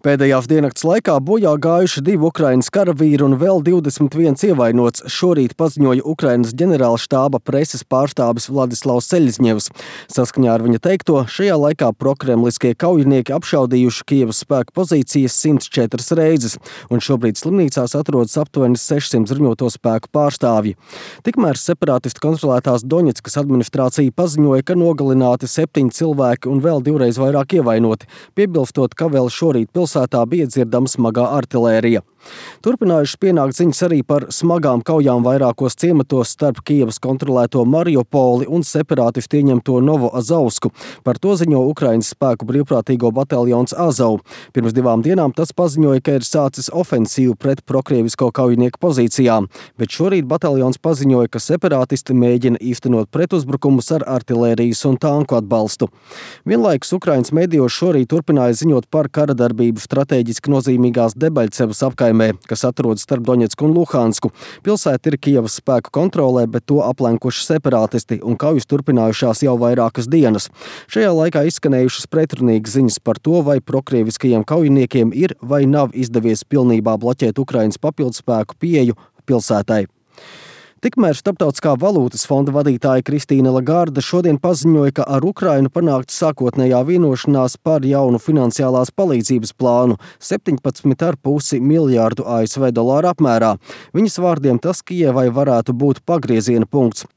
Pēdējās diennakts laikā bojā gājuši 2 Ukrainas karavīri un vēl 21 ievainots, šorīt paziņoja Ukrainas ģenerālštāba preses pārstāvis Vladislavs Seļzņevs. Saskaņā ar viņa teikto, šajā laikā prokremliskie kaujinieki apšaudījuši Kijevas spēku pozīcijas 104 reizes, un šobrīd slimnīcās atrodas aptuveni 600 bruņoto spēku pārstāvji. Tikmēr separātistu kontrolētās Doņetskas administrācija paziņoja, ka nogalināti 7 cilvēki un vēl 2 reiz vairāk ievainoti, piebilstot, ka vēl šorīt pilsētā bija dzirdama smagā artilērija. Turpinājušas pienākt ziņas arī par smagām kaujām vairākos ciematos starp Kijevas kontrolēto Mariupoli un separātistu ieņemto Novoazovsku. Par to ziņo Ukrainas spēku brīvprātīgo bataljons Azov. Pirms 2 dienām tas paziņoja, ka ir sācis ofensīvu pret prokrievisko kaujinieku pozīcijām, bet šorīt bataljons paziņoja, ka separātisti mēģina īstenot pretuzbrukumus ar artilērijas un tanku atbalstu. Vienlaikus Ukrainas medijos šorīt turpināja ziņot par kara darbību stratēģiski nozīmīgās Debaļcevas apkaimē, kas atrodas starp Doņetsku un Luhansku. Pilsēta ir Kijevas spēku kontrolē, bet to aplenkuši separātisti, un kaujas turpinājušās jau vairākas dienas. Šajā laikā izskanējušas pretrunīgas ziņas par to, vai prokrieviskajiem kaujiniekiem ir vai nav izdevies pilnībā bloķēt Ukrainas papildspēku pieeju pilsētai. Tikmēr Starptautiskā valūtas fonda vadītāja Kristīne Lagarde šodien paziņoja, ka ar Ukrainu panākta sākotnējā vienošanās par jaunu finansiālās palīdzības plānu 17,5 miljārdu ASV dolāru apmērā. Viņas vārdiem tas Kijevai varētu būt pagrieziena punkts.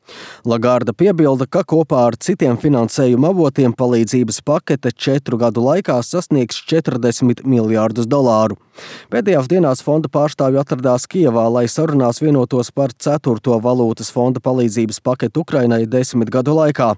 Lagarde piebilda, ka kopā ar citiem finansējuma avotiem palīdzības pakete 4 gadu laikā sasniegs 40 miljārdus dolāru. Pēdējās dienās fonda pārstāvji atradās Kijevā, lai sarunās vienotos par 4. valūtas fonda palīdzības paketu Ukrainai 10 gadu laikā.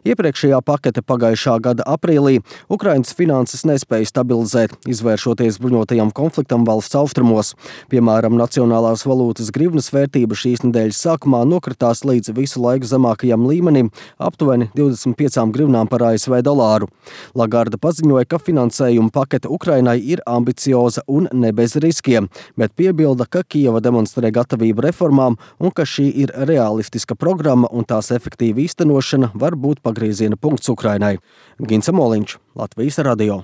Iepriekšējā pakete pagājušā gada aprīlī Ukrainas finanses nespēja stabilizēt, izvēršoties bruņotajam konfliktam valsts austrumos. Piemēram, nacionālās valūtas grivnas vērtība šīs nedēļas sākumā nokritās līdz visu laiku zemākajam līmenim, aptuveni 25 grivnām par ASV dolāru. Lagarde paziņoja, ka finansējuma pakete Ukrainai ir ambicioza un ne bez riskiem, bet piebilda, ka Kijeva demonstrē gatavību reformām un ka šī ir realistiska programma un tās efektīva īstenošana var būt pagrieziena punkts Ukrainai. Gints Moliņš, Latvijas radio.